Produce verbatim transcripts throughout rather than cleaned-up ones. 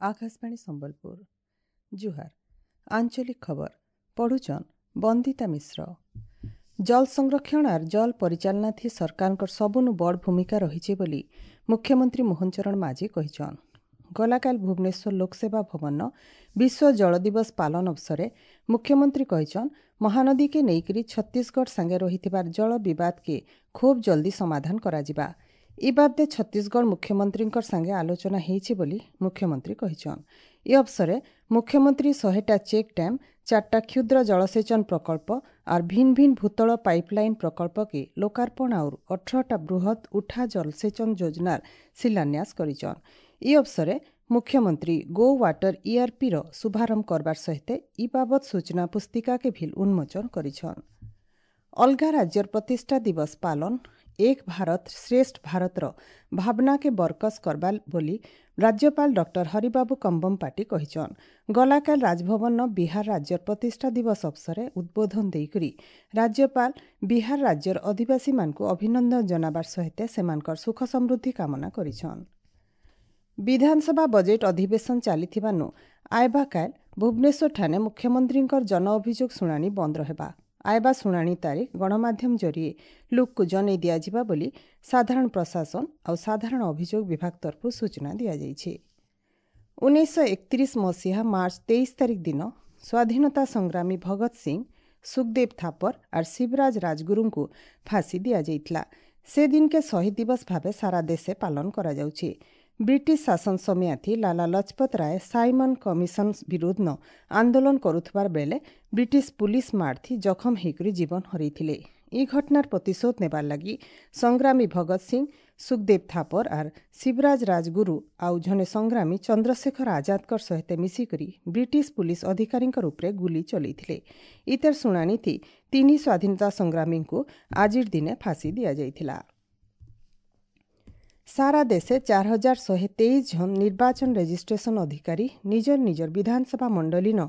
ଆକାଶବାଣୀ ସମ୍ବଲପୁର ଜୁହାର ଆଞ୍ଚଳିକ ଖବର ପଢୁଛନ୍ ବନ୍ଦିତା ମିଶ୍ର ଜଳ ସଂରକ୍ଷଣ ଆର୍ ଜଳ ପରିଚାଳନାଥି ସରକାରଙ୍କର ସବୁନୁ ବଡ଼ ଭୂମିକା ରହିଛି ବୋଲି ମୁଖ୍ୟମନ୍ତ୍ରୀ ମୋହନ ଚରଣ ମାଝୀ କହିଛନ୍ ଗଲାକାଲି ଭୁବନେଶ୍ୱର ଲୋକସେବା ଭବନ ବିଶ୍ୱ ଜଳ ଦିବସ ପାଳନ ଅବସରେ ମୁଖ୍ୟମନ୍ତ୍ରୀ କହିଛନ୍ ମହାନଦୀକେ ନେଇକରି ଛତିଶଗଡ଼ ସାଙ୍ଗେ ରହିଥିବାର ଜଳ ବିବାଦକେ ଖୁବ୍ ଜଲ୍ଦି ସମାଧାନ କରାଯିବା ଇ ବାବଦେ ଛତିଶଗଡ଼ ମୁଖ୍ୟମନ୍ତ୍ରୀଙ୍କର ସାଙ୍ଗେ ଆଲୋଚନା ହେଇଛି ବୋଲି ମୁଖ୍ୟମନ୍ତ୍ରୀ କହିଛନ୍ ଏ ଅବସରେ ମୁଖ୍ୟମନ୍ତ୍ରୀ ଶହେଟା ଚେକ୍ ଡ୍ୟାମ୍ ଚାରିଟା କ୍ଷୁଦ୍ର ଜଳସେଚନ ପ୍ରକଳ୍ପ ଆର୍ ଭିନ୍ ଭିନ୍ ଭୂତଳ ପାଇପଲାଇନ୍ ପ୍ରକଳ୍ପକେ ଲୋକାର୍ପଣ ଆଉର୍ ଅଠରଟା ବୃହତ୍ ଉଠା ଜଳସେଚନ ଯୋଜନାର ଶିଳାନ୍ୟାସ କରିଛନ୍ ଇ ଅବସରେ ମୁଖ୍ୟମନ୍ତ୍ରୀ ଗୋ ୱାଟର ଇଆର୍ପିର ଶୁଭାରମ୍ଭ କରବାର ସହିତ ଇ ବାବଦ ସୂଚନା ପୁସ୍ତିକାକେ ଭିଲ୍ ଉନ୍ମୋଚନ କରିଛନ୍ ଅଲଗା ରାଜ୍ୟର ପ୍ରତିଷ୍ଠା ଦିବସ ପାଳନ ଏକ ଭାରତ ଶ୍ରେଷ୍ଠ ଭାରତର ଭାବନାକେ ବରକସ କରବା ବୋଲି ରାଜ୍ୟପାଳ ଡକ୍ଟର ହରିବାବୁ କମ୍ବମପାଟି କହିଛନ୍ ଗଲାକାଲ ରାଜଭବନ ବିହାର ରାଜ୍ୟର ପ୍ରତିଷ୍ଠା ଦିବସ ଅବସରେ ଉଦ୍ବୋଧନ ଦେଇକରି ରାଜ୍ୟପାଳ ବିହାର ରାଜ୍ୟର ଅଧିବାସୀମାନଙ୍କୁ ଅଭିନନ୍ଦନ ଜଣାବାର ସହିତ ସେମାନଙ୍କର ସୁଖ ସମୃଦ୍ଧି କାମନା କରିଛନ୍ ବିଧାନସଭା ବଜେଟ୍ ଅଧିବେଶନ ଚାଲିଥିବାନୁ ଆଇବା କାଲ ଭୁବନେଶ୍ୱରଠାନେ ମୁଖ୍ୟମନ୍ତ୍ରୀଙ୍କର ଜନ ଅଭିଯୋଗ ଶୁଣାଣି ବନ୍ଦ ରହିବା ଆଇବା ଶୁଣାଣି ତାରିଖ ଗଣମାଧ୍ୟମ ଜରିଏ ଲୋକକୁ ଜଣାଇ ଦିଆଯିବା ବୋଲି ସାଧାରଣ ପ୍ରଶାସନ ଆଉ ସାଧାରଣ ଅଭିଯୋଗ ବିଭାଗ ତରଫରୁ ସୂଚନା ଦିଆଯାଇଛି ଉଣେଇଶହ ଏକତିରିଶ ମସିହା ମାର୍ଚ୍ଚ ତେଇଶ ତାରିଖ ଦିନ ସ୍ୱାଧୀନତା ସଂଗ୍ରାମୀ ଭଗତ ସିଂ ସୁଖଦେବ ଥାପର ଆର୍ ଶିବରାଜ ରାଜଗୁରୁଙ୍କୁ ଫାଶୀ ଦିଆଯାଇଥିଲା ସେ ଦିନକେ ଶହୀଦ ଦିବସ ଭାବେ ସାରା ଦେଶେ ପାଳନ କରାଯାଉଛି ବ୍ରିଟିଶ ଶାସନ ସମୟାଥି ଲାଲା ଲଜପତ ରାୟ ସାଇମନ କମିଶନ ବିରୁଦ୍ଧ ଆନ୍ଦୋଳନ କରୁଥିବାର ବେଳେ ବ୍ରିଟିଶ ପୁଲିସ ମାଡ଼ଥି ଜଖମ ହେଇକରି ଜୀବନ ହରାଇଥିଲେ ଇ ଘଟଣାର ପ୍ରତିଶୋଧ ନେବାର ଲାଗି ସଂଗ୍ରାମୀ ଭଗତ ସିଂ ସୁଖଦେବ ଥାପର ଆର୍ ଶିବରାଜ ରାଜଗୁରୁ ଆଉ ଜଣେ ସଂଗ୍ରାମୀ ଚନ୍ଦ୍ରଶେଖର ଆଜାଦଙ୍କର ସହିତ ମିଶିକରି ବ୍ରିଟିଶ ପୁଲିସ ଅଧିକାରୀଙ୍କର ଉପରେ ଗୁଲି ଚଲେଇଥିଲେ ଇତାର ଶୁଣାଣିଥି ତିନି ସ୍ୱାଧୀନତା ସଂଗ୍ରାମୀଙ୍କୁ ଆଜିର ଦିନେ ଫାଶୀ ଦିଆଯାଇଥିଲା ସାରା ଦେଶେ ଚାର ହଜାର ଶହେ ତେଇଶ ଜଣ ନିର୍ବାଚନ ରେଜିଷ୍ଟ୍ରେସନ ଅଧିକାରୀ ନିଜର ନିଜର ବିଧାନସଭା ମଣ୍ଡଳୀନ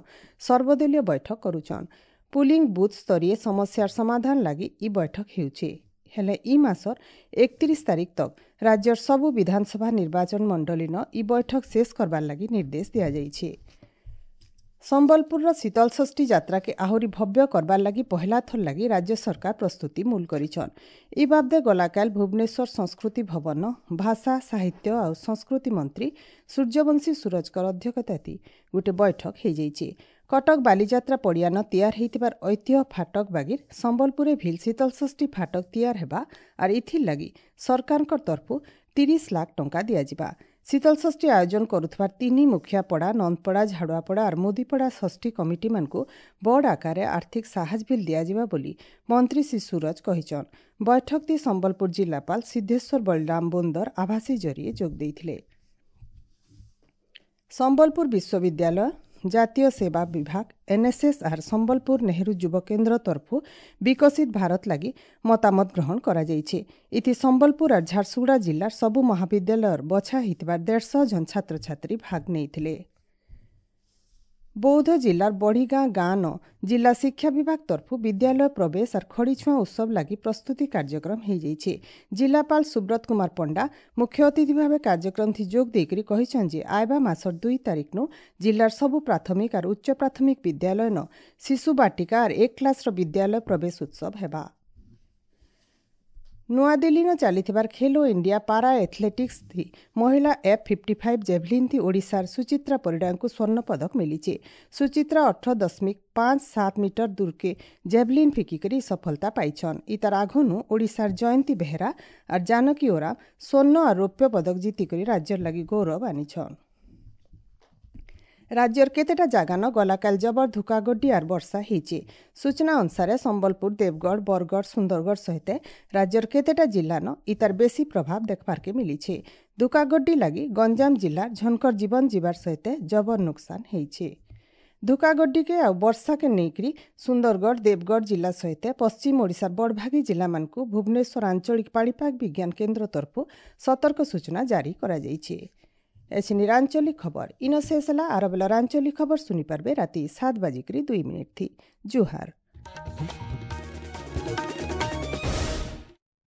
ସର୍ବଦଳୀୟ ବୈଠକ କରୁଛନ୍ ପୁଲିଂ ବୁଥ୍ ସ୍ତରୀୟ ସମସ୍ୟାର ସମାଧାନ ଲାଗି ଇ ବୈଠକ ହେଉଛି ହେଲେ ଇ ମାସର ଏକତିରିଶ ତାରିଖ ତକ୍ ରାଜ୍ୟର ସବୁ ବିଧାନସଭା ନିର୍ବାଚନ ମଣ୍ଡଳୀନ ଇ ବୈଠକ ଶେଷ କରବାର ଲାଗି ନିର୍ଦ୍ଦେଶ ଦିଆଯାଇଛି ସମ୍ବଲପୁରର ଶୀତଳଷଷ୍ଠୀ ଯାତ୍ରାକେ ଆହୁରି ଭବ୍ୟ କରବାର ଲାଗି ପହିଲା ଥର ଲାଗି ରାଜ୍ୟ ସରକାର ପ୍ରସ୍ତୁତି ମୂଲ କରିଛନ୍ ଇ ବାବଦେ ଗଲାକାଲ ଭୁବନେଶ୍ୱର ସଂସ୍କୃତି ଭବନ ଭାଷା ସାହିତ୍ୟ ଆଉ ସଂସ୍କୃତି ମନ୍ତ୍ରୀ ସୂର୍ଯ୍ୟବଂଶୀ ସୂରଜଙ୍କର ଅଧ୍ୟକ୍ଷତାତି ଗୋଟେ ବୈଠକ ହେଇଯାଇଛି କଟକ ବାଲିଯାତ୍ରା ପଡ଼ିଆନ ତିଆର ହେଇଥିବାର ଐତିହ୍ୟ ଫାଟକ ବାଗିର ସମ୍ବଲପୁରରେ ଭିଲ୍ ଶୀତଳଷଷ୍ଠୀ ଫାଟକ ତିଆର ହେବା ଆର୍ ଇଥିର୍ ଲାଗି ସରକାରଙ୍କ ତରଫରୁ ତିରିଶ ଲାଖ ଟଙ୍କା ଦିଆଯିବା ଶୀତଳଷଷ୍ଠୀ ଆୟୋଜନ କରୁଥିବା ତିନି ମୁଖିଆପଡ଼ା ନନ୍ଦପଡ଼ା ଝାଡ଼ୁଆପଡ଼ା ଆର୍ ମୋଦିପଡ଼ା ଷଷ୍ଠୀ କମିଟିମାନଙ୍କୁ ବଡ଼ ଆକାରରେ ଆର୍ଥିକ ସାହାଯ୍ୟ ବିଲ୍ ଦିଆଯିବା ବୋଲି ମନ୍ତ୍ରୀ ଶ୍ରୀ ସୁରଜ କହିଛନ୍ ବୈଠକଟି ସମ୍ବଲପୁର ଜିଲ୍ଲାପାଳ ସିଦ୍ଧେଶ୍ୱର ବଳରାମ ବୋନ୍ଦର ଆଭାସୀ ଜରିଏ ଯୋଗ ଦେଇଥିଲେ ସମ୍ବଲପୁର ବିଶ୍ୱବିଦ୍ୟାଳୟ ଜାତୀୟ ସେବା ବିଭାଗ ଏନ୍ଏସ୍ଏସ୍ ଆର୍ ସମ୍ବଲପୁର ନେହେରୁ ଯୁବ କେନ୍ଦ୍ର ତରଫରୁ ବିକଶିତ ଭାରତ ଲାଗି ମତାମତ ଗ୍ରହଣ କରାଯାଇଛି ଇଥି ସମ୍ବଲପୁର ଆର୍ ଝାରସୁଗୁଡ଼ା ଜିଲ୍ଲାର ସବୁ ମହାବିଦ୍ୟାଳୟର ବଛା ହେଇଥିବା ଦେଢ଼ଶହ ଜଣ ଛାତ୍ରଛାତ୍ରୀ ଭାଗ ନେଇଥିଲେ ବୌଦ୍ଧ ଜିଲ୍ଲାର ବଢ଼ିଗାଁ ଗାଁନ ଜିଲ୍ଲା ଶିକ୍ଷା ବିଭାଗ ତରଫରୁ ବିଦ୍ୟାଳୟ ପ୍ରବେଶ ଆର୍ ଖଡ଼ିଛୁଆଁ ଉତ୍ସବ ଲାଗି ପ୍ରସ୍ତୁତି କାର୍ଯ୍ୟକ୍ରମ ହେଇଯାଇଛି ଜିଲ୍ଲାପାଳ ସୁବ୍ରତ କୁମାର ପଣ୍ଡା ମୁଖ୍ୟ ଅତିଥି ଭାବେ କାର୍ଯ୍ୟକ୍ରମଥି ଯୋଗ ଦେଇକରି କହିଛନ୍ ଯେ ଆଇବା ମାସର ଦୁଇ ତାରିଖନୁ ଜିଲ୍ଲାର ସବୁ ପ୍ରାଥମିକ ଆର୍ ଉଚ୍ଚ ପ୍ରାଥମିକ ବିଦ୍ୟାଳୟନ ଶିଶୁ ବାଟିକା ଆର୍ ଏକ କ୍ଲାସ୍ର ବିଦ୍ୟାଳୟ ପ୍ରବେଶ ଉତ୍ସବ ହେବା ନୂଆଦିଲ୍ଲୀନ ଚାଲିଥିବାର ଖେଲୋ ଇଣ୍ଡିଆ ପାରା ଏଥଲେଟିକ୍ସ ଥି ମହିଳା ଏଫ୍ ଫିଫ୍ଟି ଫାଇଭ୍ ଜେଭଲିନ୍ ଥି ଓଡ଼ିଶାର ସୁଚିତ୍ରା ପରିଡ଼ାଙ୍କୁ ସ୍ୱର୍ଣ୍ଣ ପଦକ ମିଳିଛି ସୁଚିତ୍ରା ଅଠର ଦଶମିକ ପାଞ୍ଚ ସାତ ମିଟର ଦୂରକେ ଜେଭଲିନ୍ ଫିକିକରି ସଫଳତା ପାଇଛନ୍ ଇତାର ଆଘନୁ ଓଡ଼ିଶାର ଜୟନ୍ତୀ ବେହେରା ଆର୍ ଜାନକୀ ଓରାମ ସ୍ୱର୍ଣ୍ଣ ଆର୍ ରୌପ୍ୟ ପଦକ ଜିତିକରି ରାଜ୍ୟର ଲାଗି ଗୌରବ ଆନିଛନ୍ ରାଜ୍ୟର କେତେଟା ଜାଗାନ ଗଲାକାଲ ଜବର ଧୁକାଗଡ୍ଡି ଆର୍ ବର୍ଷା ହେଇଛି ସୂଚନା ଅନୁସାରେ ସମ୍ବଲପୁର ଦେବଗଡ଼ ବରଗଡ଼ ସୁନ୍ଦରଗଡ଼ ସହିତ ରାଜ୍ୟର କେତେଟା ଜିଲ୍ଲାନ ଇତାର ବେଶୀ ପ୍ରଭାବ ଦେଖବାର୍କେ ମିଳିଛି ଧୁକାଗଡ୍ଡି ଲାଗି ଗଞ୍ଜାମ ଜିଲ୍ଲାର ଝନକର ଜୀବନ ଯିବାର ସହିତ ଜବର ନୁକସାନ ହେଇଛି ଧୁକାଗଡ୍ଡିକେ ଆଉ ବର୍ଷାକେ ନେଇକରି ସୁନ୍ଦରଗଡ଼ ଦେବଗଡ଼ ଜିଲ୍ଲା ସହିତ ପଶ୍ଚିମ ଓଡ଼ିଶାର ବଡ଼ଭାଗୀ ଜିଲ୍ଲାମାନଙ୍କୁ ଭୁବନେଶ୍ୱର ଆଞ୍ଚଳିକ ପାଣିପାଗ ବିଜ୍ଞାନ କେନ୍ଦ୍ର ତରଫରୁ ସତର୍କ ସୂଚନା ଜାରି କରାଯାଇଛି ଏଛିନିର ଆଞ୍ଚଳିକ ଖବର ଇନ ଶେଷ ହେଲା ଆର ବେଲର ଆଞ୍ଚଳିକ ଖବର ଶୁଣିପାରିବେ ରାତି ସାତ ବାଜିକରି ଦୁଇ ମିନିଟ୍ ଥି ଜୁହାର।